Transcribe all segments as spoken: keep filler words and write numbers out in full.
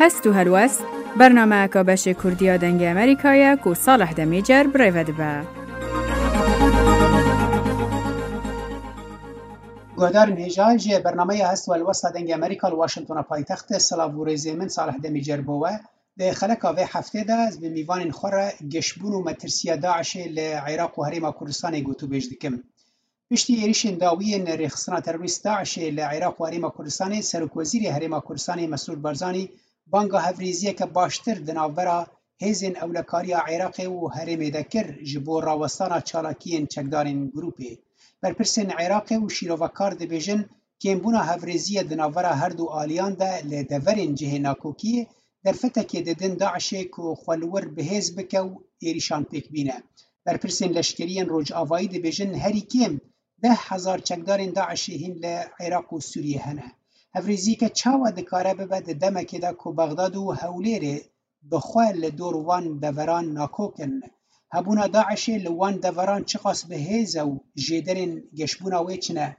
Hest û helwest, bernameyeka beşê Kurdî ya Dengê Amerîka ye ku Salih Demîcer bi rê ve dibe. Guhdarên hêja, ji bernameya Hest û Helwesta Dengê Amerîka li Washingtona paytextê, silav û rêzê min Salih Demîcer bo we. Di xeleka vê heftê de ez bi mîvanên xwe re geşbûn û metirsiya DAIŞê li Iraq û Herêma Kurdistanê gotûbêj dikim. Piştî êrîşên dawî yên rêxistina terorîst DAIŞê li Iraq û Herêma Kurdistanê, Serokwezîrê Herêma Kurdistanê Mesrûr Barzanî banga hevrêziyeke baştir di navbera hêzên ewlekariya Iraqê û herêmê de kir ji bo rawestana çalakiyên çekdarên grûpê. Berpirsên Iraqê û şîrovekar dibêjin, kêmbûna hevrêziyê di navbera her du aliyan de li deverên cihê nakokiyê derfetekê didin DAIŞê ku xwe li wir bi hêz bike û êrîşan pêk bîne. Berpirsên leşkerî yên Rojavayî dibêjin herî kêm deh hezar çekdarên DAIŞê hîn li Iraq û Sûriyê hene. Hevrêziyeke çawa dikare bibe di demekê de ku Bexdad û Hewlêrê bi xwe li dor wan deveran nakok in? Hebûna DAIŞê li wan deveran çiqas bi hêz e û jêderên geşbûna wê çi ne?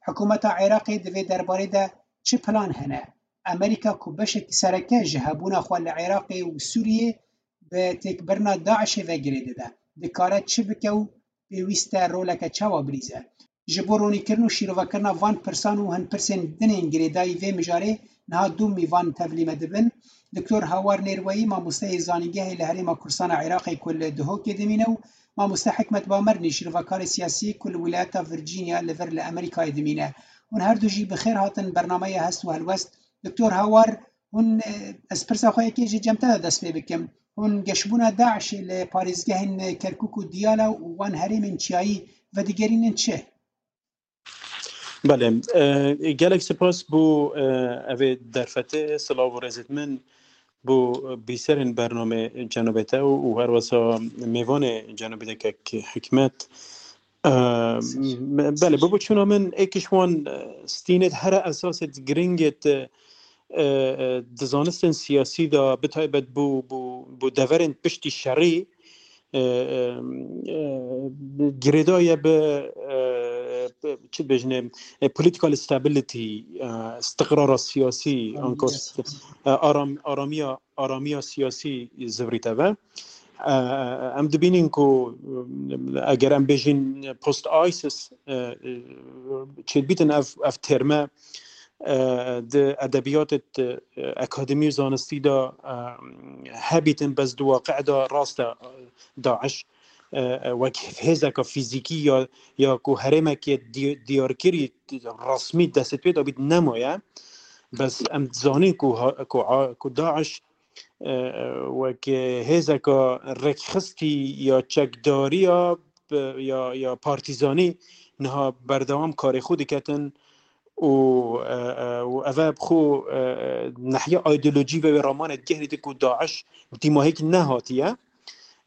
Hikûmeta Iraqê di vê derbarê de çi plan hene? Amerîka ku beşekî sereke ji hebûna xwe li Iraqê û Sûriyê bi têkbirina DAIŞê ve girê dide, dikare çi bike û pêwîst e roleke çawa bilîze? Ji bo ronîkirin û şîrovekirina van pirsan û hin pirsên din ên girêdayî vê mijarê niha du mîvan tevlî me dibin. Doktor Hawar Nêrweyî, mamosteyê zanîngehê li Herêma Kurdistana Iraqê ku li Duhokê dimîne û mamoste Hikmet Bamernî, şîrovekarê siyasî ku li wilayeta Virginia li vir li Amerîkayê dimîne. Hûn her du jî bi xêr hatin bernameya Hest û Helwest. Doktor Hawar, hûn, e, ez pirsa xwe yekê ji cem te de dest pê bikim. Hûn geşbûna DAIŞê li parêzgehên Kerkûk û Diyala û wan herêmên çiyayî vedigerînin çi? Belê, e, gelek spas bo, e, evê derfetê, silav û rêzêt min bo bîserên bernamê cenabê te û, û her wesa mêvanê cenabê te kek Hikmet. E, Spas. me-, belê, bo boçûna min êk ji wan, e, stînêt here esasêt giringêt, e, e, di zanistên siyasî de, bi taybet bo, bo, bo deverên piştî şerî, e, e, e, girêdaye bi, e, bi, çi dibêjinê, e, political stability, e, istiqrara siyasî, Aramî anka st-, siyasî. e, aram-, aramiya, aramiya siyasî zivrîte ve. E, em dibînin ku, e, eger em bêjin post ISIS, e, e, çêdibîtin ev, ev terme, e, di edebiyatê, e, akademî û zanistî de, e, hebîtin, bes di waqi'ê de rast e, e, DAIŞ, e, e, wek hêzeke fîzîkî ya, ya ku herêmekê di-, diyarkirî resmî destê pê dabît nemaye. Bes em dizanin ku ha-, ku a-, ku DAIŞ, e, e, wek hêzeke rêkxistî ya çekdariya, e, ya, ya partîzanî niha berdewam karê xwe diketin û, e, e, û ev e bi xwe, e, e, nehiya ideolojî ve wê ramanê digehrîtin ku DAIŞ dîmahîk nehatiye.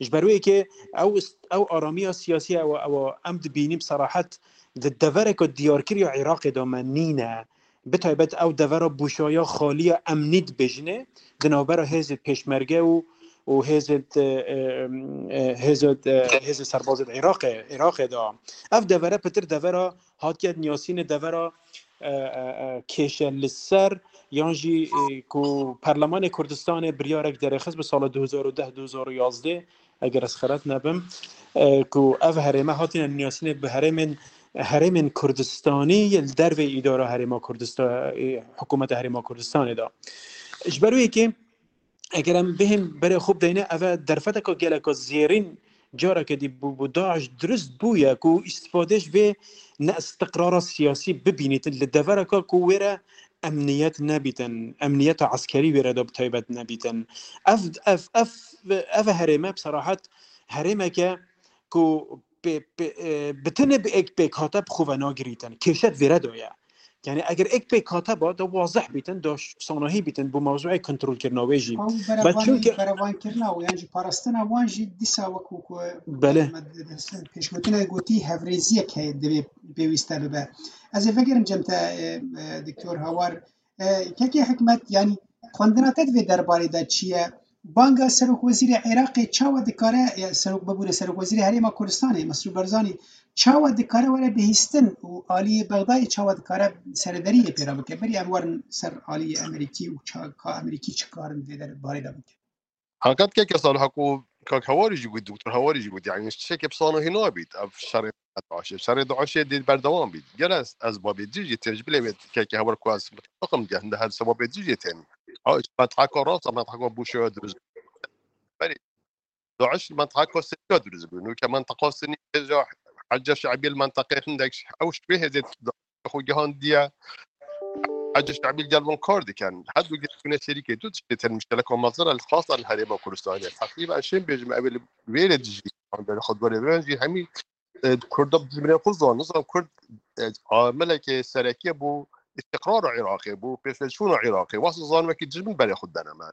Ji ber wê yekê ew ist-, ew aramiya siyasî ew, ew em dibînin bi serahet di devereke diyarkirî ya Iraqê de me nîne. Bi taybet ew devera bûşaya xaliya emnî dibêjinê di navbera hêzê pêşmerge û, û hêzê, e, e, e, hêzê, e, hêzê serbazê di Iraqê, Iraqê de. Ev devere pitir devera hatiye niyasînê devera, e, e, e, kêşe li ser, yan jî, e, ku Perlemanê Kurdistanê biryarek derêxist bi sala du hezar û deh, du hezar û yazdeh, eger ez xelet nebim, e, ku ev herême hatine niyasînê bi herêmên, herêmên Kurdistanî li dervê îdara Herêma Kurdista-, e, hikûmeta Herêma Kurdistanê de. Ji ber wê yekê eger em bihên berê xwe bideyne, ev e derfeteka geleka zêrîn careke dî bû, bû DAIŞ dirust bûye ku îstifade ji vê neistiqrara siyasî bibînîtin li devereka ku wê re emniyet nebîtin, emniyeta eskerî wê re de bi taybet nebîtin. Ev, ev, ev, ev herême bi serahet herêmeke ku pê, pê, e, bi tenê bi êk pêkhate bi xwe ve nagirîtin. Kêşet vêre de ye. Yani eger êk pêkhate ba, da wazeh bîtin, da ş-, sanahî bîtin, bo mewzûyê kontrolkirina wê jî. Ew Bes berevan-, çunke berevankirina û yan jî parastina wan jî dîsa wekû ku Belê. me di-, di-, pêşgotinê gotî hevrêziyek heye divê pêwîste bibe. Ez ê vegerim cem te, e, e, Doktor Hawar. E, kekê Hikmet, yani xwendina te di vê derbarê de çi ye? Banga Serokwezîrê Iraqê çawa dikare, ya, serok bibûre Serokwezîrê Herêma Kurdistanê, Mesrûr Barzanî, çawa dikare were bihîstin û aliyê Bexdayê çawa dikare serederiyê pê re bike? Berî em werin ser aliyê Amerîkî û ça-, ka Amerîkî çi karin vê der-, barê de bike? Heqet keke sal heko kak Hewarî jî got, doktor Hewarî jî got, yani tiştekê bi sano hê nabît, ev şerê DAIŞê. Şerê DAIŞê dê berdewam bît. Gel ez, ez babê dijî tên, ji bilê wê keke Hewar ku ez mitefaqim ge, hinde her sebabê dijî tên. Ha, işte, mintaka rast, mintaka Bûşewa dirûst. Berî, DAIŞ li mintaka Sirya dirûst bû. Nûke mintaka Sinî hêja Hecca Şe'bî li mintaqê hindek ew ji wê hêzê xwe gihandiye. Hecca Şe'bî gel wan kar dikin. Her du gel gune şerîkê du tiştê tên muşteleka mezin e, li xasan li Herêma Kurdistanê. Teqrîben şên bêjim ew ê li wê rê dijî. An berê xwe dwarê wan jî hemî, e, Kurda bi dijminê xwe zan, nizan Kurd, e, ameleke serekiye bo îstiqrara Iraqê, bo pêşveçûna Iraqê. Wasa zan wekî dijmin berê xwe dene me.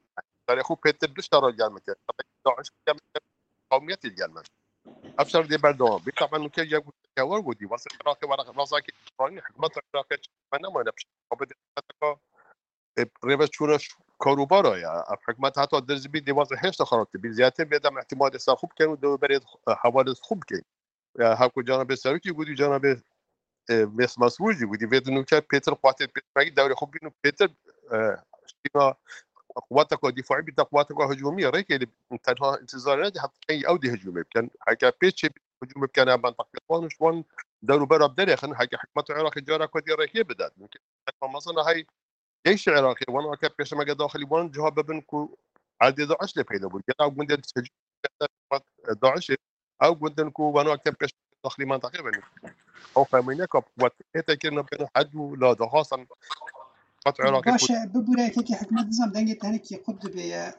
Berê xwe pêtir du şera gel me kir. DAIŞ gel me kir, qewmiyetê gel me. Ev şer dê berdewam bê. Taban nûke yek goteke wer gotî, wasa Iraqê were razakî Îsraîlî, hikûmeta Iraqê çi me nemane pişt. Xwe bide e, rêveçûna ş-, karûbara ya. Ev hikûmet heta dirzî bî, dê wazî hêşta xerabtir bî. Zêdetir vê dem îhtîmalê ser xwe bikin û dê berê, e, hevalê xwe bikin. E, heko cenabê serokî gotî, cenabê, e, Mês Mesrûr jî gotî, vê di nûke pêtir quwetê pêşmergî dewrê xwe bîn û pêtir, e, şîna quweteka dîfaî bîte quweteka hicûmî. Rêkê li tenha întizarê nedî, heta kengî ew dê hicûmê bikin. Heke pê çê hicûmê bikin, em mintaqê wan û ji wan dewrûbera derêxin, heke hikûmeta Iraqê careke dî rêkê bide. Nûke mezin e hey Ceyşê Iraqê, wan weke pêşmerge daxilî wan ciha bibin ku erdê DAIŞ lê peyda bû. Gel ew gundên tecrûbe DAIŞê, ew gundên ku wan weke pêşmerge daxilî mintaqê bin. Ew xemîneka wek hête kirine bêne hed û la daxwazan qet Iraqê ku Baş e, bibûre yekekî hikûmet nizam dengê te hinekî qut dibe ye,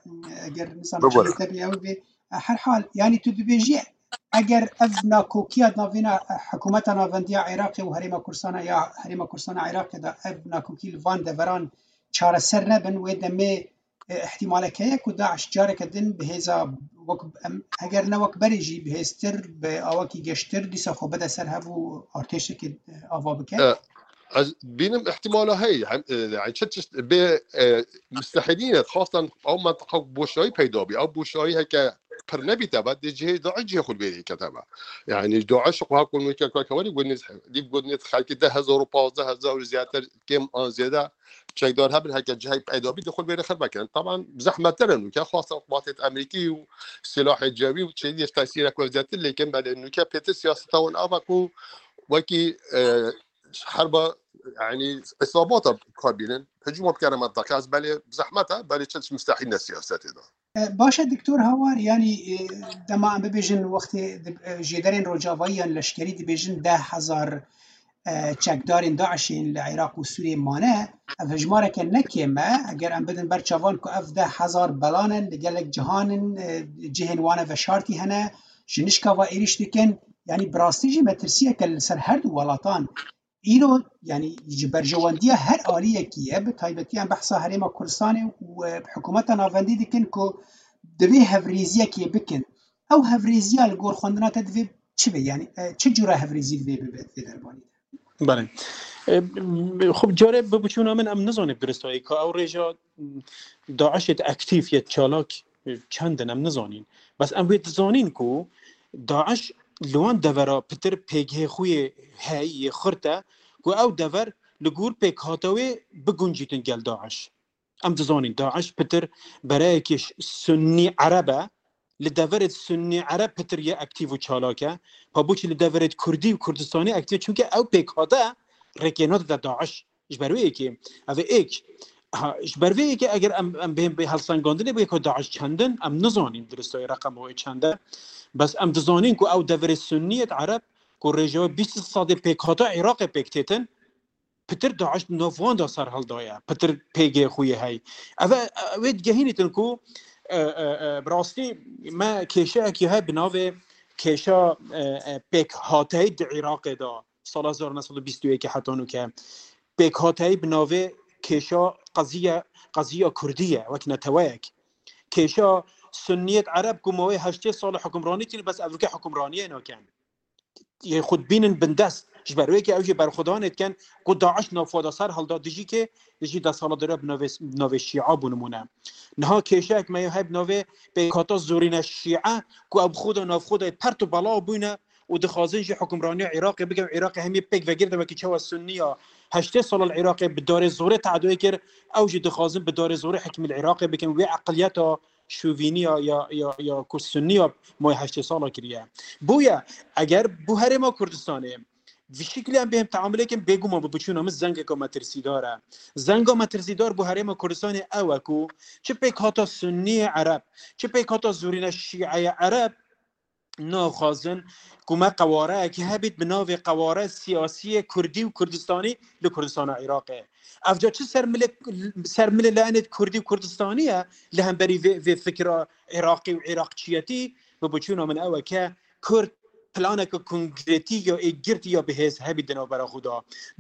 eger nizam Bibûre. Çiyê te bê ew bê. Her hal, yanî tu dibêjî, eger ev nakokiya navêna, e, hikûmeta navendiya Iraqê û Herêma Kurdistana ya Herêma Kurdistana Iraqê de ev nakokî li van deveran çareser nebin, wê demê, e, ihtimalek heye ku DAIŞ careke din bi hêza wek em, eger ne wek berê jî bi hêztir, bi awakî geştir dîsa xwe bide ser hev û artêşekê, e, ava bike? E, ez bînim ihtimala heye. Hem, e, yani çi tişt bê, e, mustehîlî ne, xastan ew mentiqa boşayî peyda bî. Ew boşayî heke pir nebîte be, dê cihê DAIŞ cihê xwe li vê yekete be. Yani DAIŞ xwe heko nûke kake werî gunîz, dîv gunîz xelkî deh hezar û pazdeh hezar û zêdetir kêm an zêde çekdar hebin, heke cihê peyda bî, dê xwe li vê rê xirbe kirin. Taban zehmettir e nûke, xastan quwatê Amerîkî û silahê cewî û çêdî tesîrek we zêdetir, lêkin belê nûke pêtir siyaseta wan ava ku wekî, e, herba, yani, îsabata kar bînin, hicûma bikene mentiqê. Ez belê zehmet e, belê çi mustehîl ne siyasetê de. E, baş e, Doktor Hawar, yanî, e, dema em bibêjin wextê di, e, jêderên rojavayî yan leşkerî dibêjin deh hezar, e, çekdarên DAIŞ'ên li Iraq û Sûriyê mane, ev hejmareke ne kêm e. Eger em bidin ber çavan ku ev deh hezar belan in, li gelek cihan in, e, cihên wan e veşartî hene, ji nişka ve êrîş dikin. Yanî bi rastî jî metirsiyeke li ser her du welatan. Îro, yanî ji berjewendiya her aliyekî ye, bi taybetî em behsa Herêma Kurdistanê û, e, hikûmeta navendî dikin ku divê hevrêziyekê bikin. Ew hevrêziya li gor xwendina te divê çi be? Yanî, e, çi cure hevrêzî divê bibe di vê derbarê de? Belê. E, xwe carê bi biçûna min em nizanî bi diristayî ka ew rêja DAIŞê di aktîf yê çalak, e, çend in em nizanîn. Bes em wê dizanîn ku DAIŞ li wan devera pitir pêgehê xwe yê heyî yê xirt e ku ew dever li gor pêkhata wê biguncîtin gel DAIŞ. Em dizanîn DAIŞ pitir bereyekî ş-, sunnî ereb e, li deverê sunnî ereb pitir yê aktîf û çalak e. Pa boçî li deverê kurdî û kurdistanî aktîf e, çunke ew pêkhate rêkê nade de DAIŞ. Ji ber wê yekê, ev ê êk. Ha, ji ber vê yekê eger em, em bê, bê helsengandinê bê ku DAIŞ çend in, em nizanîn diristayê reqema wê çend e. Bes em dizanîn ku ew deverê sunnî yê ereb ku rêjewa bîst sedê pêkhata Iraqê pêk têtin, pitir DAIŞ di nav wan de serhildaye, pitir pêgehê xwe yê hey. Ev e, ew ê digehînîtin ku, e, e, e, bi rastî me kêşeyekî heye bi navê kêşa, e, e, pêkhateyî di Iraqê de, sala hezar neh sed û bîst û yekê heta nûke. Pêkhateyî bi navê kêşa qeziye, qeziya kurdî ye, wek neteweyek. Kêşa sunniyet ereb ku mawê heştê sal hukimranî kir, bes evroke hukimraniyê nakin. Yê xwe dibînin bindest. Ji ber wê ke ew jî berxwedanê dikin ku DAIŞ navxwe de ser hilda dijî ke dijî desthilatdarî bi navê, bi navê Şîa bû nimûne. Niha kêşeyek me ya heye bi navê pêkhata zorîne Şîa ku ew xwe de navxwe de pert û belav bûne û dixwazin jî hukimraniya Iraqê bikin û Iraqê hemî pêk vegirtin wekî çawa Sunniya heştê sala li Iraqê bi darê zorê tedoyê kir, ew jî dixwazin bi darê zorê hikmî li Iraqê bikin. Wê eqiliyeta şovîniya ya, ya, ya ku Sunniya mayê heştê sala kiriye. Bûye, eger bû herêma Kurdistanê vî şiklî em bêm teamulê kin, bêguman bi biçûna min zengeka metirsîdar e. Zenga metirsîdar bo herêma Kurdistanê ew e ku çi pêkhata Sunniyê Ereb, çi pêkhata zorîne Şîeyê Ereb naxwazin ku me qewareyekî hebît bi navê qeware siyasiyê Kurdî û Kurdistanî li Kurdistana Iraqê. Ev ca çi ser milê, ser milê layenê Kurdî û Kurdistanî ye li hemberî vê, vê fikra Iraqî û Iraqçiyetî? Bi biçûna min ew e ke Kurd planeke konkretî ya êkgirtî ya bihêz hebî di navbera xwe de.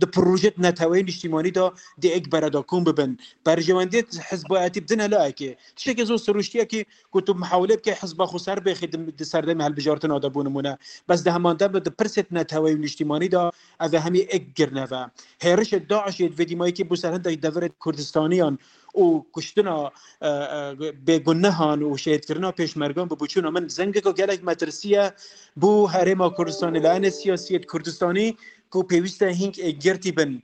Di projeyê neteweyî niştîmanî de di êk bere de kom bibin. Berjewendiyê hizbayetî bidine layekê. Tiştekî zor sirûştiyekî ku tu mihawile bike hizba xwe ser bêxî di, di serdemê hilbijartina de bû nimûne. Bes di heman dem de di pirsê neteweyî û niştîmanî de ev e hemî êk girne ve. Hêrişê DAIŞê di vê dîmayîkê bû ser hindek deverê Kurdistaniyan û kuştina, e, e, bêgunehan û şehîdkirina pêşmergan bi biçûna min zengeka gelek metirsî ye bo herêma Kurdistanê. Layenê siyasiyê di Kurdistanî ku pêwîst e hînk êkgirtî bin,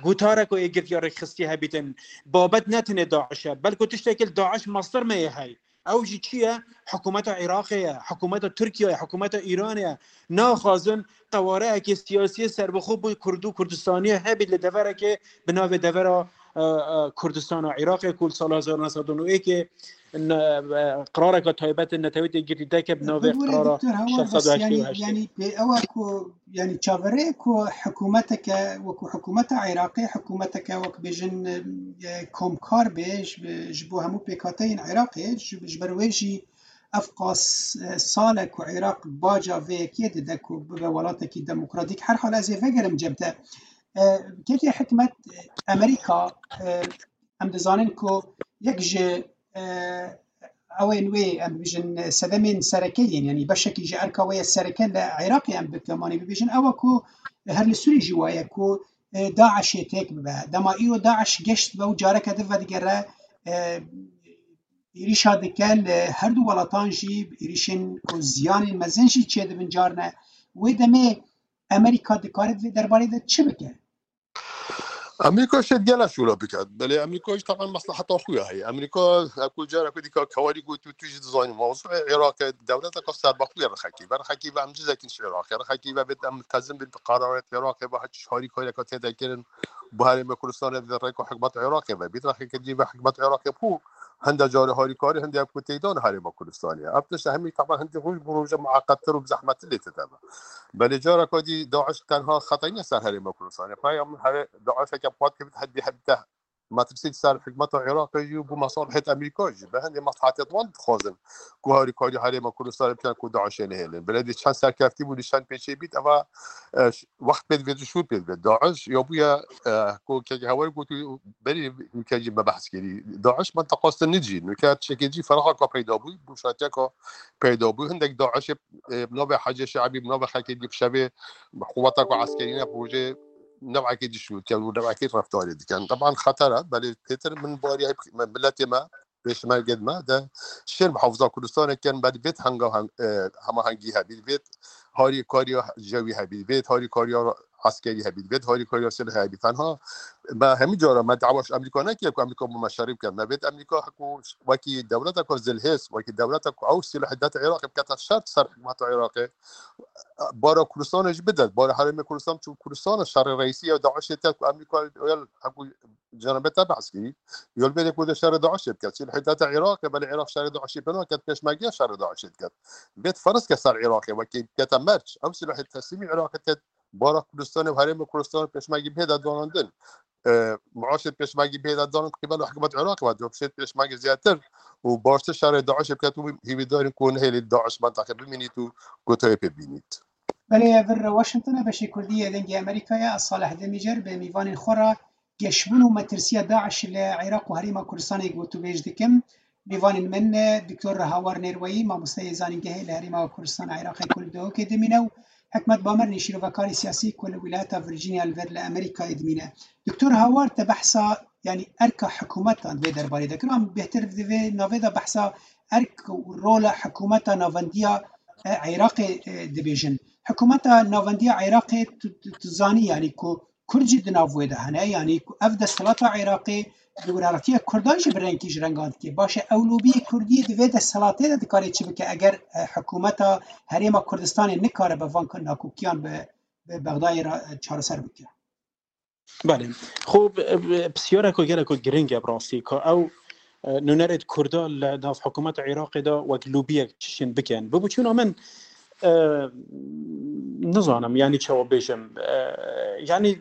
gotarek û êkgirtiya rêkxistî hebîtin. Babet ne tenê DAIŞ e, belku tiştekî li DAIŞ mastir me yê hey. Ew jî çi ye? Hikûmeta Iraqê ye, hikûmeta Tirkiye ye, hikûmeta Îranê ye. Naxwazin qewareyekê siyasiyê serbixwe bo Kurd û Kurdistaniyê hebît li deverekê bi navê devera, e, e, Kurdistana Iraqê ku li sala hezar neh sed û newekê ne, e, qirareke taybet neteweyî tê girtî deke bi navê Bibûre qirara Doktor Hawar, şeş sed û heştê û heşt. Bes yanî, yanî pê ew e ku, yanî çaverê ku hikûmeteke wekû hikûmeta Iraqê, hikûmeteke wek bêjin, e, komkar be ji, ji bo hemû pêkhateyên Iraqê, ji, ji ber wê jî ev qas, e, sal e ku Iraq baca vê yekê dide ku bibe welatekî demokratîk. Her hal ez ê vegerim cem te. E, kekê Hikmet, e, Amerîka, e, em dizanin ku yek ji, e, ewên wê, em bibêjin, sedemên sereke yên, yanî beşekî ji erka wê ye sereke li Iraqê em bi temanî bibêjin, ew e ku her li Sûrî jî waye ku, e, DAIŞê têk bibe. Dema îro DAIŞ geşt be û careke din vedigere, e, êrîşa dike li her du welatan jî, êrîşên ku ziyanên mezin jî çêdibin carine. Wê demê Amerîka dikare di vê derbarê de çi bike? Amerîka şêt gela şûla biket. Belê Amerîka jî teban mesleheta xwe ya heye. Amerîka, her ku cara ku dîka kewarî got û tu jî dizanî, mewzûê Iraqê dewleteka serbixwe ya rixekî. Ve rixekî ve em cizekî ji Iraqê. Rixekî ve bêt em miltezim bin bi qeraret Iraqê ve hiç harîkariyeka tê de kirin. Bi herêma Kurdistanê ve rêka hikûmeta Iraqê ve. Bît rexekê dî ve hikûmeta Iraqê bû. Hinde carê harîkarî, hinde ku têdan herêma Kurdistanê. Ev tişt hemî teban hindî roj bi roja mueqettir û bi zehmettir lê tide be. Belê careka dî DAIŞ tenha xetayî ne ser herêma Kurdistanê. Paya min herê DAIŞeke pat kevt hedî hebte metirsî ser hikûmeta Iraqê jî û bo mesalihêt Amerîka jî. Bi hindê mesleheta wan dixwazin ku harîkarî herêma Kurdistanê bikin ku DAIŞê nehêlin. Belê dî çend serkeftî bû, dî çend pêçê bît, eva, e, ş-, wext pê divê, şûr pê divê. DAIŞ ya bûye, e, ku kekê Hawar got û berî nûke jî me behs kirî. DAIŞ menteqa Sinnî jî, nûke tiştekê jî feraqeka peyda bû, rûşatiyeka peyda bû. Hindek DAIŞê, e, bi navê Hecê Şeibî, bi navê xelkê dî bi şevê quweteka eskerî ne, bi rojê newekê dişûtin û newekê reftarê dikin. Teban xeter e, belê pêtir min barî hep me, miletê me, pêşmergên me de şên muhafiza Kurdistanê kin, belê vêt henga heng-, e, hemahengî hebî, vêt harîkariya cewî hebî, vêt harîkariya eskerî hebî, vêt harîkariya silhê hebî. Tenha me hemî cara me dawa ji Amerîka nekiriye ku Amerîka bo me şerî bike. Me vêt Amerîka ku wekî dewleteka zilhêz, wekî dewleteka ku ew silahê dete Iraqê bikete şer ser hikûmeta Iraqê. Bara Kurdistanê jî bide, bara herêmê Kurdistan, çû Kurdistan şerê reîsî ya DAIŞê te ku Amerîka ya heku cenabê te behs kirî. Yol bêrê ku de şerê DAIŞê biket. Silahê dete Iraqê, belê Iraq şerê DAIŞê pê naket, pêşmerge şerê DAIŞê diket. Vêt ferz ke ser Iraqê, wekî bikete merc. Ew silahê teslîmî Iraqê te bara Kurdistanê û herêmê Kurdistanê pêşmergî bihêde danandin. E, maaşê pêşmergî bihêde danin qîbel hikûmet Iraqê ve, copşêt pêşmergî zêdetir û baştir şerê DAIŞê biket û hîvîdarin ku nehêlît DAIŞ menteqê bimînît û gotayê pê bînît. Belê, vir Washington e, beşê Kurdî yê Dengê Amerîkayê, ez Salih Demîcer bi mîvanên xwe re geşbûn û metirsiya DAIŞ li Iraq û Herêma Kurdistanê gotûbêj dikim. Mîvanên min, Doktor Hawar Nêrweyî, mamosteyê zanîngehê li Herêma Kurdistana Iraqê ku li Duhokê dimîne û Hikmet Bamirnî, şîrovekarê siyasî ku li wilata Virginia li vir li Amerîkayê dimîne. Doktor Hawar, te behsa, yanî erka hikûmetan vê derbarê de kir. An bêhtir di vê navê de behsa erk û rola hikûmeta navendiya, e, Iraqê, e, dibêjin. Hikûmeta navendiya Iraqê tu, tu, tu zanî, yanî ku Kurd jî di nav wê de hene, yanî ku ev desthilata Iraqê bi werhatiya Kurdan jî bi rengkî ji rengan dike. Baş e, ew lobiyê Kurdiyê di vê desthilatê de dikare çi bike eger, e, hikûmeta Herêma Kurdistanê nikaribe van nakokiyan bi, bi Bexdayê re, e, çareser bike? Belê. Xwe, e, pisyareko geleko giring e bi rastî, ka ew, e, nûnerêt Kurda li nav hikûmeta Iraqê de wek lobiyek çişên bikin. Bi biçûna min, e, nizanim, yanî çawa bêjim. E, yanî,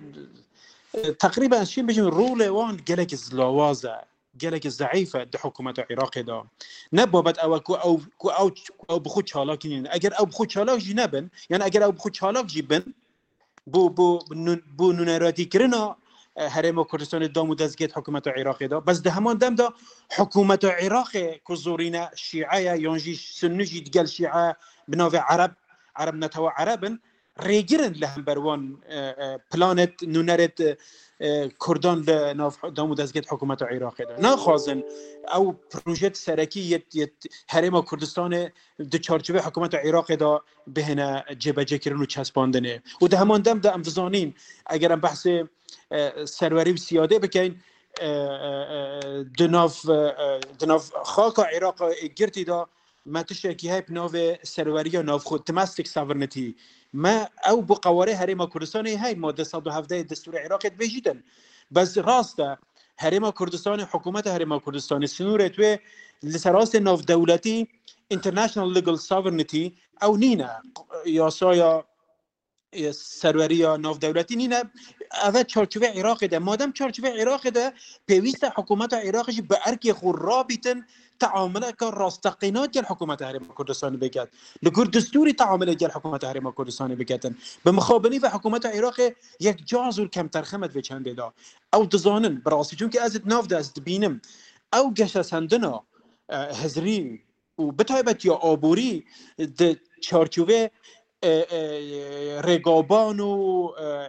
e, teqrîben ez çi bêjim, rolê wan gelek zilawaz e, gelek zeîf e di hikûmeta Iraqê de. Ne babet ew e ku ew, ku ew, ku ew bi xwe çalak nînin. Eger ew bi xwe çalak jî nebin, yanî eger ew bi xwe çalak jî bin, bo, bo, bo nû-, bo nûneratîkirina, e, Herêma Kurdistanê dam û destgehê hikûmeta Iraqê de. Bes di heman dem de hikûmeta Iraqê ku zorîne şîe ye, yan jî sunni jî digel şîe bi navê Ereb, Ereb netewa Ereb in, rêgir in li hember wan, e, e, planêt, nûnerêt, e, Kurdan li nav dam û destgehê hikûmeta Iraqê de. Naxwazin ew projet serekî yê, yê Herêma Kurdistanê di çarçovê hikûmeta Iraqê de bihêne cêbecêkirin û çespandinê. Û di heman dem de em dizanîn, eger em behsê, e, serwerî û siyadê bikeyn, e, e, e, di nav, e, e, di nav xaka Iraqê girtî de me tiştekî heye bi navê serweriya navxwe, domestic sovereignty. Me ew bi qewarê Herêma Kurdistanê hey, madde sed û hevdeh yê Destûrê Iraqê dibêjîtin. Bes rast e, Herêma Kurdistanê, hikûmeta Herêma Kurdistanê, sinûrê wê li ser astê navdewletî, international legal sovereignty, ew nîne. Yasaya, e, serweriya navdewletî nîne. Ev e çarçovê Iraqê de. Madem çarçovê Iraqê de, pêwîst e hikûmeta Iraqê jî bi erkê xwe rabîtin, teamuleke rasteqîna gel hikûmeta Herêma Kurdistanê biket. Li gor destûrî teamulê gel hikûmeta Herêma Kurdistanê biketin. Bi mixabinî ve hikûmeta Iraqê yek cazûr kemterxem e di vê çendê de. Ew dizanin, bi rastî, çunke ez di nav de ez dibînim. Ew geşesendina, e, hizrî û bi taybet ya aborî di çarçovê, e, e, rêgaban û,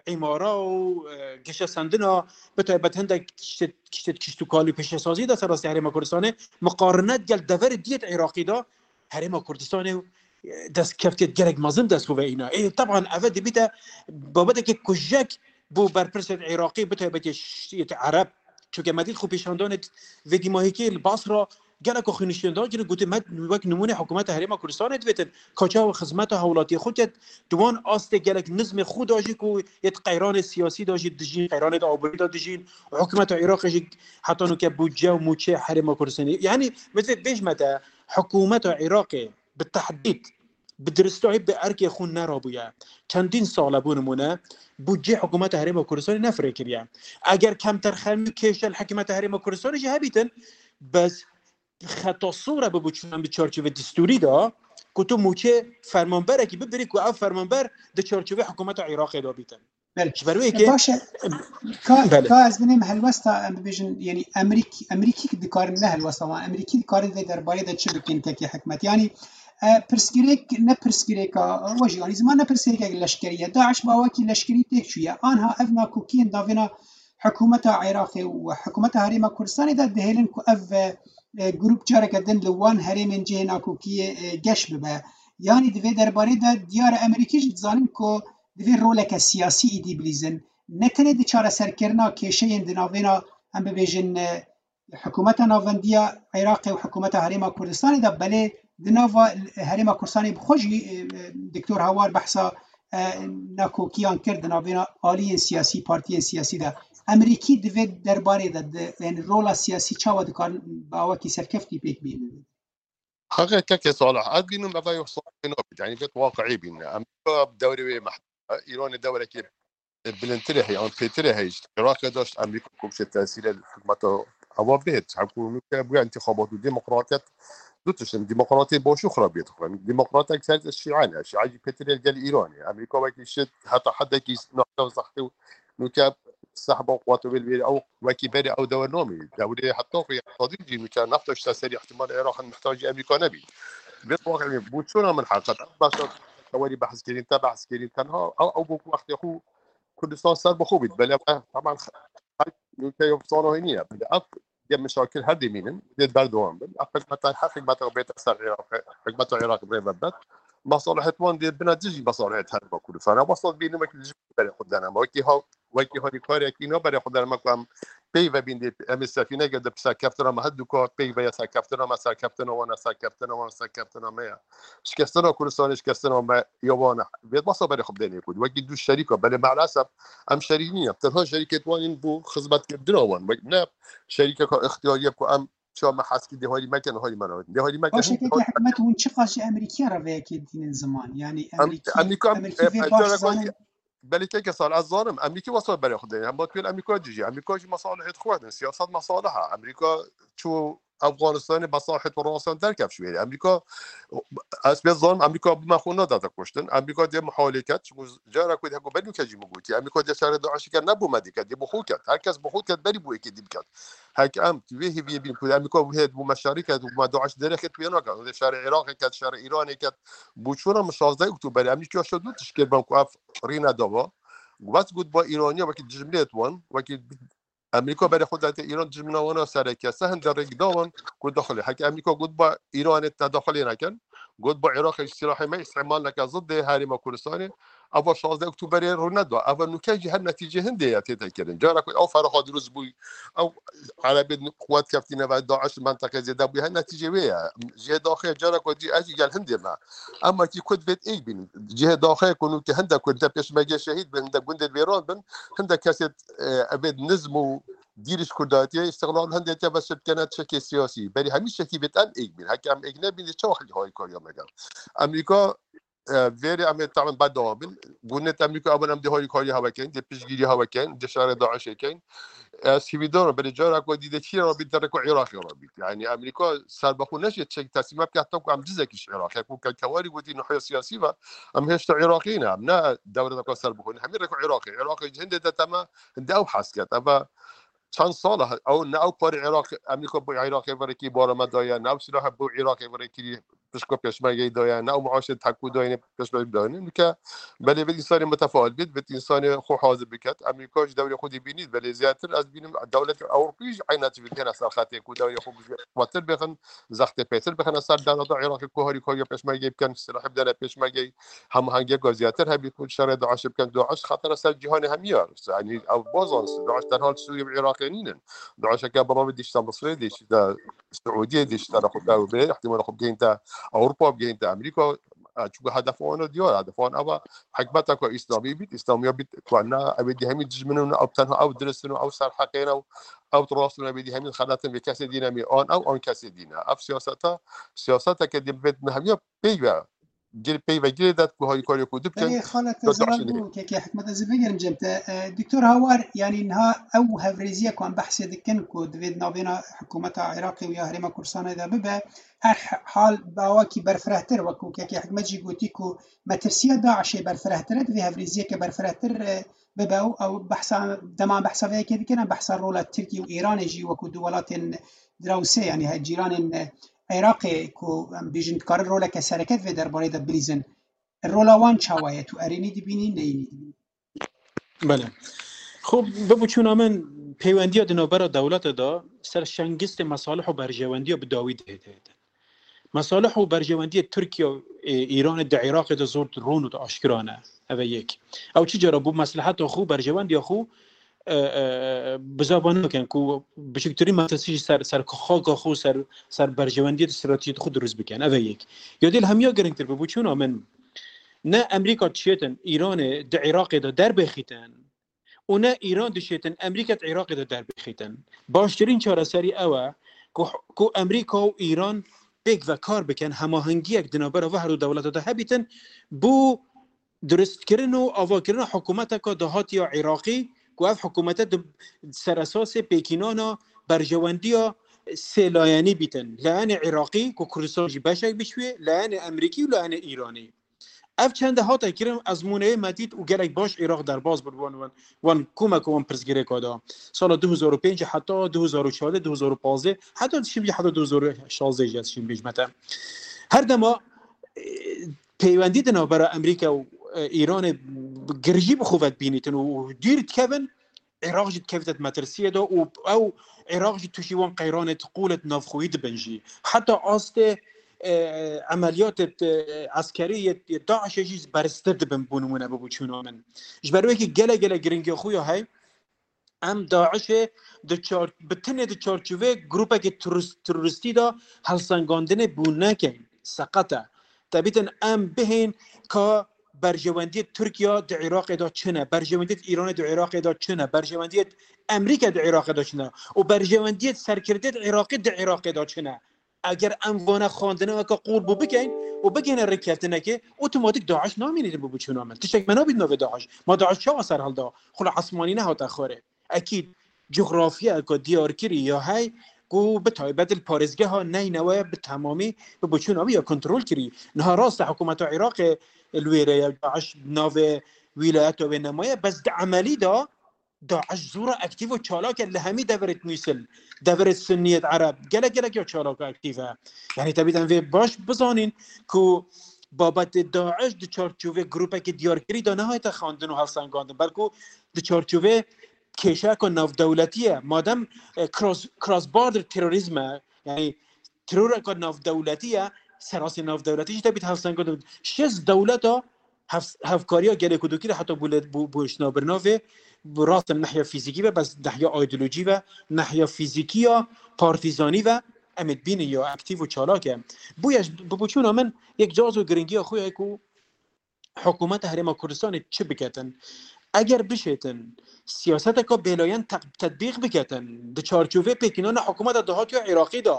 e, îmara û, e, geşesendina, bi taybet hindek kiştê, kiştê kişt û kal û pêşesazî de serastê Herêma Kurdistanê miqarine gel deverê diyet Iraqî de Herêma Kurdistanê, e, destkeftiyet gelek mezin dest xwe ve îna. Ê, teban eve dibîte babeteke kujek bo berpirsêt Iraqî, bi taybetê şiyet Ereb. Çunke me dît xwe pêşandanê vê dîmahîkê li Basra geleko xwînişîn da kirin, gotin me wek nimûne hikûmeta Herêma Kurdistanê divêtin. Ka çawa xizmeta hewlatiyê xwe ket, di wan astê gelek nizmê xwe da jî ku yê di qeyranê siyasî da jî dijîn, qeyranê de aborî da dijîn, hikûmeta Iraqê jî heta nûke budce û mûçê Herêma Kurdistanê. Yanî, min divê bêjme te, hikûmeta Iraqê bi tehdîd, bi diristahî bi erkê xwe nerabûye. Çendîn sal e, bo nimûne, budcê hikûmeta Herêma Kurdistanê nefirê kiriye. Eger kemterxemî û kêşe li hikûmeta Herêma Kurdistanê jî hebîtin, bes xeta sor e bi biçûnan bi çarçovê destûrî de, ku tu mûçê fermanberekî bibirî, ku ev fermanber di çarçovê hikûmeta Iraqê de bîtin. Belê. Ji ber wê yekê. Baş e. Ka, belê. Ka ez binêm helwesta, em bibêjin, yanî Emerîk-, Emerîkî dikarin, ne helwesta wan, Emerîkî dikarin vê derbarê de çi bikin kekê hikmet? Yanî, e, pirsgirêk, ne pirsgirêka, e, we jî, yanî ziman ne pirsgirêkek leşkerî ye. DAIŞ bi awakî leşkerî têk çûye. Anha ev nakokiyên navêna hikûmeta Iraqê û hikûmeta Herêma Kurdistanê de dihêlin ku ev, e, e, grûp careke din li wan herêmên cihê nakokiyê, e, geş bibe. Yanî di vê derbarê de diyar e Emerîkî jî dizanin ku divê roleke siyasî îdî bilîzin. Ne tenê di çareserkirina kêşeyên di navêna, em bibêjin, e, hikûmeta navendiya Iraqê û hikûmeta Herêma Kurdistanê de, belê di nava Herêma Kurdistanê bi xwe jî, e, e, Doktor Hawar behsa, e, nakokiyan kir di navêna aliyên siyasî, partiyên siyasî de. Emerîkî di vê derbarê de, di, yanî rola siyasî çawa dikarin bi awakî serkeftî pêk bînin? Heqîqet kekê Salih, ez bînim eve yek salih nabit, yanî vêt waqiî bîne. Em bi dewrê wê mehdûd e. Îranê dewrekê bilindtirê heye, an pêtirê heye. Îşte Iraqê de îşte Amerîka komşê tesîrê hikûmeta ava bihêt. Hikûmete bûye întîxabat û demokratiyet du tişt in. Demokratê baş û xirabiyet xwe. Demokratek ser şîe ne. Şîe jî pêtirê gel Îranê. Amerîka wekî şit heta hedekî nehta zehte û nûke sehba quwet û wêl ew wekî berê ew dewr namî. Dewrê heta xwe ya Sadî jî nûke nefta şite serî ihtimal Iraq in mihtacî Amerîka nebî. Vê waqî bû çona min heqet. Ev başa tewerî behs kirin, te behs kirin, tenha ew, ew bû ku wextê xwe Kurdistan ser bi xwe bît. Belê, eh, teman, nûke yê sala hênî ye. Belê, ev yê meşakil her dimînin, dê berdewam bin. Ev hikmeta, her hikmeta bête ser Iraq, hikmeta Iraq rê vebet. Masalihet wan dê bina dijî masalihet her ba Kurdistan. Ev masal bînin wekî dijî berê xwe dene. Wekî ha, wekî harîkarekî na berê xwe dene. Me ku em peyve bîn dê, em ê sefîneke de serkeftina me her du ka peyve ya serkeftina me, serkeftina wan, serkeftina wan, serkeftina me ya. Şikestina Kurdistanê, şikestina me ya wan e. Vê masa berê xwe bidênê ku wekî du şerîka, belê maalesef em şerîk nîne. Tenha şerîkêt wan in bû xizmetkirina wan. Wek ne şerîkeka ixtiyarî ye ku em çawa me heskî dê harî mekin, harî me nabin. Dê harî mekin. Baş e, keke hikûmet hûn çiqas ji Amerîkiya re vê yekê dînin ziman? Yanî Em-, Amerîkî, Amerîka, Amerîkî e, vê e, baş cara zanin. Belê keke sal ez zanim, Amerîkî wasa berê xwe dê. Hema tu Amerîka dijî. Amerîka jî mesalihêt xwe ne. Siyaset mesaliha. Amerîka çû Afganistanê mesalihêt û rasan derkev şûyê. Amerîka, ez pê zanim, Amerîka bi me xwe nadate kuştin. Amerîka dê mihalê ket. Çimkû cara ku heko belû ke jî min gotî. Amerîka dê şerê DAIŞê ket, ne bo me diket. Dê bo xwe ket. Her kes bo xwe ket, berî bo êkê dî biket. Heke em tu vê hêviyê bîn ku Amerîka wê bo me şerî ket, bo me DAIŞ derê ket, wê naket. Dê şerê Iraqê ket, şerê Îranê ket. Bo çûna min şazdeh Oktoberê, Amerîka şo du tişt kir, ben ku ev rîne dava. Wes got ba Îraniya wekî dijminêt wan, wekî Amerîka berê xwe date Îran, dijmina wana sereke. Se hinde rêk da wan ku daxilê. Heke Amerîka got ba Îranê te daxilê nekin, got ba Iraqê ji silahê me îstimal neke zidê herêma Kurdistanê. Eva şazdeh Oktoberê rû neda. Eva nûke jî her netîcê hindê ye tête kirin. Cara ku ew feraxa dirust bûy, ew Erebê quwet keftîne ve, DAIŞ li menteqê zêde bûye, her netîcê wê ye. Cihê daxê cara ku dî ez jî gel hindê me. Ema kî Kurd vêt êk bînin. Cihê daxê ku nûke hinde Kurd de pêşmerge şehîd bin, hinde gundê wêran bin, hinde kesê, e, evê nizm û dîrîş Kurdatiyê, îstiqlal hindê te ve şirkene çekê siyasî. Berî hemî şekî vêt em êk bîn. Heke em êk nebîn, çawa xelkî harîkariya me gel? Amerîka e, vêrê em ê tamen berdewam bin. Gundê Amerîka, evan em dê harîkariya hewe kein, dê piştgîriya hewe kein, dê şerê DAIŞê kein. Ez hêvîdar im, belê cara ku dî dê çi re bît, derê ku Iraqê re bît. Yanî Amerîka serbexwe neşê çek teslîme bike, heta ku em cizekî ji Iraqê, ku ke-, kewarî gotî nihiya siyasî ve, em hêşta Iraqî ne, em ne dewleteka serbexwe ne. Hemî rê ku Iraqê. Iraqê ji hindê de teme, hindê ew hes ket. Eva çend sal e, ew ne ew parê Iraq, Amerîka bo Iraqê verekî bara me daye, ne ew silahe bo Iraqê verekî pişko pêşmergeyê daye, ne ew maaşê tekû dayine pêşmergeyê dayine. Nûke belê vê însanê mutefail bît, vê însanê xwe hazir biket. Amerîka ji dewrê xwe dibînît, belê zêdetir ez bînim dewletê Ewropî jî eyna tişt bît hêna ser xetê ku dewrê xwe xwetir bixin, zextê pêtir bixine ser dewleta Iraqê ku harîkariya pêşmergeyê bikin, silahê bidene pêşmergeyê, hemahengiyeka zêdetir hebî ku şerê DAIŞê bikin. DAIŞ xetera ser cîhanê hemî ye. Yanî ew bazan, DAIŞ tenha li Sûriyê û Iraqê nînin. DAIŞeke bi ravê dişte Misirê, dişte Siûdiyê, dişte xwe te bê, ihtimala xwe bigihînte Ewropa, bigihînte Amerîka. E, çunku hedef wan diyar, hedef wan ev e, hikmeteke Îslamî bît, Îslamiya bît, ku ne, ew ê dî hemî dijmin in, ew tenha ew dirist in, ew serheqê ne, ew rast in, ew ê dî hemî xelet in, vê kesê dî ne mî an ew, an kesê dî ne. Ev siyaseta, siyaseteke dê bibêt me hemiya peyve gir-, peyvegirê de ku harîkariyê ku dibikin. Belê, xala te zelal bû, kekê Hikmet, ez ê vegerim cem te. E, Doktor Hawar, yanî niha ew hevrêziye ku em behsê dikin ku divê di navbêna hikûmeta Iraqê û ya Herêma Kurdistanê de bibe, her h-, hal bi awakî berfirehtir, wekû kekê Hikmet jî gotî ku metirsiya DAIŞê berfirehtir e, divê hevrêziyeke berfirehtir, e, bibe û ew behsa, dema em behsa vê yekê dikin, em behsa rola Tirkiye û Îranê jî wekû du welatên drawsê, yanî he-, cîranên, e, Iraqê ku em bêjin dikarin roleke sereke di vê derbarê de bilîzin. Rola wan çawa ye? Tu erênî dibînî, neyînî dibînî? Belê. Xwe bibiçûna min peywendiya di navbera dewlete de ser şengistê mesalih û berjewendiya bi dawî dihête. Mesalih û berjewendiyê Tirkiye û, e, Îranê di Iraqê de zor ron û aşkira ne. Ev e yek. Ew çi cara bo mesleheta xwe, berjewendiya xwe, e, e, bizava nakin ku biçûktirîn metirsî ji ser, ser xaka xwe, ser, ser berjewendiyê stratejî xwe dirust bikin. Ev e yek. Ya dê li hemiya girîngtir bibiçûna min, ne Amerîka dişêtin Îranê di Iraqê de derbêxîtin û ne Îran dişêtin Amerîka di Iraqê de derbêxîtin. Baştirîn çareserî ew e ku, ku Amerîka û Îran pêk ve kar bikin, hemahengiyek di navbera ve her du dewleta de hebîtin, bo durustkirin û avakirina hikûmeteka dahatî ya Iraqî, ku ev hikûmete di seresasê pêkînana berjewendiya sêlayenî bîtin. Layenê Iraqî, ku Kurdistan jî beşek biçûyê, layenê Amerîkî û layenê Îranî. Ev çende hate kirin, ezmûneyê me dît û gelek baş Iraq derbas bû wan, wan, wan kûmek û wan pirsgirêka da. Sala du hezar û pênc heta du hezar û çardeh, du hezar û pazdeh, heta dişim jî heta du hezar û şazdeh jî ez şîm bêjmete. Her dema, e, peywendî di navbera Amerîka û e, Îranê girjî bi xwe ve dibînîtin û dûr dikevin, Iraq jî dikevite di metirsiyê de û ew Iraq jî tûşî wan qeyranê di qûlê di navxweyî dibin jî. Heta astê e, emeliyatê e, eskerî yê yê DAIŞê jî beriztir dibin, bû nimûne, bi boçûna min. Ji ber wekî gelek gelek giringiya xwe ya hey, em DAIŞê di çar, bi tenê di çarçovê grûpekî terorist-, teroristî de helsengandinê bû nekin. Seqet e. Te bîtin em bihên ka berjewendiyê Tirkiye di Iraqê de çi ne, berjewendiyê Îranê di Iraqê de çi ne, berjewendiyê Amerîka di Iraqê de çi ne û berjewendiyê serkirdeyê Iraqê di Iraqê de çi ne. Eger em vana xwendina weke qûr bû bikin û bigihine rêkeftinekê, otomatik DAIŞ namîne, bi boçûna min. Tiştek me nabît navê DAIŞ. Ma DAIŞ çawa ser hilda? Xula esmanî nehate xwarê. Ekîd, coxrafiyeke diyarkirî ya hey ku bi taybet li parêzgeha Neynewe bi temamî bi boçûna wî ya kontrol kirî. Niha rast e, hikûmeta Iraqê li wê re ye, DAIŞ navê wîlayeta wê nemaye, bes di emelî de DAIŞ zû re aktîf û çalak e li hemî deverêt Mûsil, deverêt Sunniyêt Ereb, gelek gelek ya çalak û aktîf e. Yanî tebî em vê baş bizanîn ku babetê DAIŞ di çarçovê grûpekî diyarkirî de nehayete xwendin û hevsengandin, belku di çarçovê kêşeyeke navdewletî ye. Madem e, cross, cross border terrorism e, yanî teroreke navdewletî ye, serasê navdewletî jî tebît hevsengandin. Şêst dewleta hev-, hevkariya gelê ku dikir heta bû lê-, bû, bû şina birnavê, bû rast e nehya fîzîkî ve, bes nehya îdeolojî ve, nehya fîzîkî ya partîzanî ve, em ê dibînin ya aktîf û çalak e. Bûye ji, bi boçûna min yek caz û giringiya xwe ye ku hikûmeta Herêma Kurdistanê çi biketin? Eger bişêtin siyaseteka bêlayen te-, tetbîq biketin, di çarçovê pêkînana hikûmeta dahatî ya Iraqî de,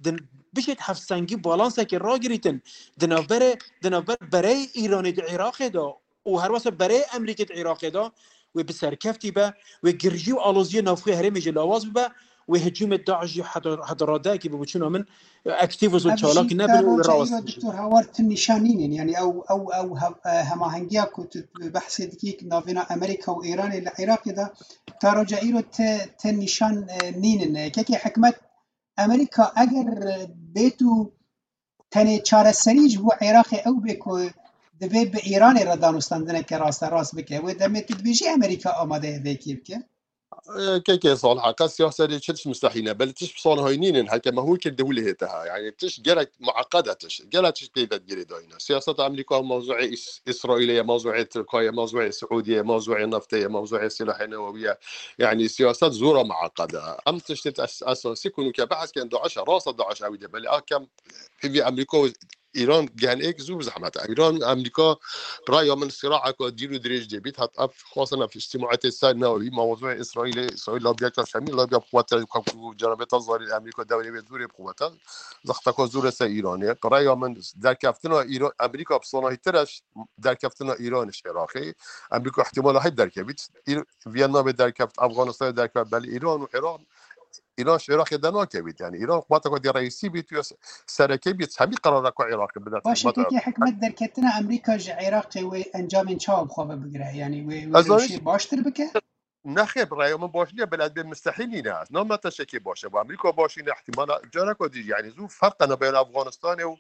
di, bişêt hevsengî balansekê ragirîtin, di navberê, di navber bereyê Îranê di Iraqê de û her wesa bereyê Amerîkê di Iraqê de, wê bi serkeftî be, wê girjî û aloziyê navxwe herêmê jî lawaz bibe, wê hicûmê DAIŞ jî heta, heta radeyekî bi boçûna min aktîv û zû çalak nebin û wê rawest bibin. Doktor Hawar, tu nîşan nînin, yanî ew, ew, ew hev-, e, hemahengiya ku tu behsê dikî navêna Amerîka û Îranê li Iraqê de, ta roja îro te, te nîşan, e, nînin. Kekê hikmet, Amerîka eger bêt û tenê çareserî ji bo Iraqê ew bê ku divê bi Îranê re danûstandineke rasterast bike. Wê demê tu dibêjî Amerîka amade ye vê yekê bike? Kekê Salih, qet siyasetê çi tişt mustehîl e. Belê tişt bi Salihayî nînin, heke me hûr kir di hûlê hê te ha. Yani tişt gelek mueqqed e tişt. Gelek tişt peyvek girêdayî ne. Siyaseta Amerîka mewzuê Îs-, Îsraîlê ye, mewzuê Tirka ye, mewzuê Siûdiyê ye, mewzuê neftê ye, mewzuê silahê newewî ye. Yani siyaset zora mueqqed e. Em tiştê es-, esasî ku nûke behs ken DAIŞ e, rast e DAIŞ ewî de. Belê a kem pêvî Amerîka û Îran gen êk zû bi zehmet e. Îran û Amerîka, bi raya min, siraeka dîr û dirêj dê bît. Hat ev xwestin ev îctimaetê ser newewî, mewzuê Îsraîlê, Îsraîl labiya çarşemî, labiya bi quwet e, ku cenabê Tezarî Amerîka dewrê wê zûrê bi quwet e. Zexteka zûrê ser Îranê. Bi raya min derkeftina Îra-, Amerîka bi sanahîtir e derkeftina Îranê ji Iraqê. Amerîka ihtimala heyv derkevît. Îr-, Viyetnamê derkeft, Afganistanê derkeft, belê Îran û Îran Îran ji Iraqê dernakevît. Yani Îran quweteke dê reîsî bît, ya se-, sereke bît, hemî qerara ku Iraqê bide. Baş e, kekê hikmet, derketina Amerîka ji Iraqê wê encamên çawa bi xwe ve bigire? Yani wê, wê rewşê baştir bike? Nexêr, bi raya min baş niye, belê ez bê mustehîl nîne. Ez name te şekê baş e. Bo Amerîka baş nîne, ihtimala careka dî, yani zû ferq e nabeyna Afganistanê û,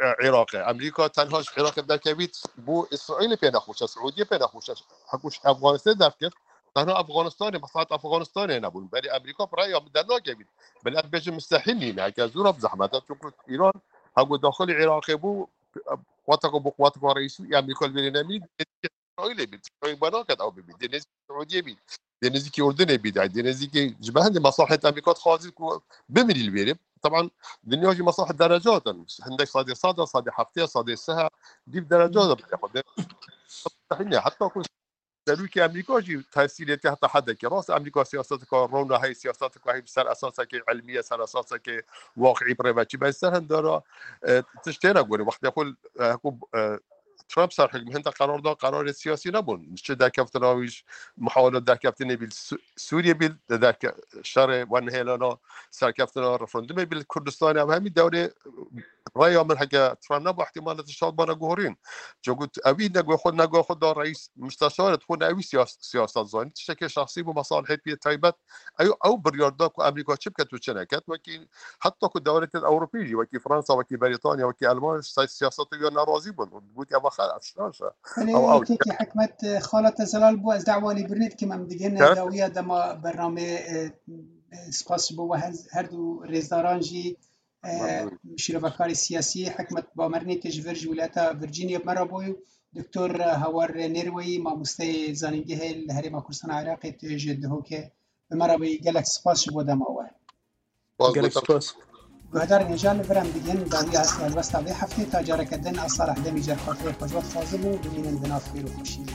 e, Iraqê. Amerîka tenha ji Iraqê derkevît, bo Îsraîlê pê nexweş e, Siûdiyê pê nexweş e. Hekû ji Afganistanê derkir, Tena Afganistanê, meslahet Afganistanê nebûn. Belê Amerîka bi raya min dernakevît. Belê ez bêjim mustehîl nîne. Heke zû re bi zehmet e. Çunku Îran heko daxilî Iraqê bû, quweteke bo quweteke reîsî Amerîka li vêrê nemî, Îsraîlê bî. Îsraîl bana ket ew bibî. Dê nêzîkî Siûdiyê bî. Dê nêzîkî Urdunê bî. Dê nêzîkî ji ber hindê meslaheta Amerîka dixwazî ku bimînî li vêrê. Taban dinya jî meslahet derecat in. Hindek sadê sed e, sadê heftê, sadê sih e. Dîv derecat e. Mustehîl ne. Heta ku serokê Amerîka jî tesîrê tê heta hedekê. Rast Amerîka siyaseteke rewna heye, siyaseteke heye bi ser esasekê ilmî ye, ser esasekê waqiî bi rê ve çi be. Ser hindera, e, tişt têne gorî. Wextê xwe, e, ku, e, Trump ser hikm hinde qerar da, qerarê siyasî nebûn. Çi derkeftina wî ji muhawela derkeftinê bî li Sû-, Sûriyê bî, derke-, şerê wenhêlana serkeftina referandumê bî li Kurdistanê, ev hemî dewrê raya min heke Trump nebû, ihtimal e tişt bana guhorîn. Çunku ewî ne guhê xwe, ne guhê xwe da reîs musteşar, xwe ne ewî siyas-, siyaset zanî. Tiştekê şexsî bû, mesalihê pê taybet. Ew, ew biryar da ku Amerîka çi biket û çi neket. Wekî heta ku dewletên Ewropî jî, wekî Fransa, wekî Berîtanya, wekî Elmanya, ji siyasetê ya nerazî bûn. Gotî, "Eva xer, ev şaş e." Belê, Ew, ew yekekî Hikmet, e, xala te zelal bû, ez dawa lêbirnê dikim, em digihine Gerçek- dawiya dema bernameyê, e, e, spas ji bo we her, her du rêzdaran jî, e, Memnun. Şîrovekarê siyasî Hikmet Bamerînê, tê ji vir ji wilata Virginia bi me re bû. Doktor Hawar Nêrweyî, mamosteyê zanîngehê li Herêma Kurdistana Iraqê, tê ji Duhokê bi me re bû. Gelek spas ji bo dema we. Spas, Gelek doktor. Spas. Guhdarên hêja, li vir em digihên dawiya hestê helwesta vê heftê, ta careke din, ez Salih Demî, carxatirê xwe ji we dixwazim û bimînin di nav xêr û xweşiyê.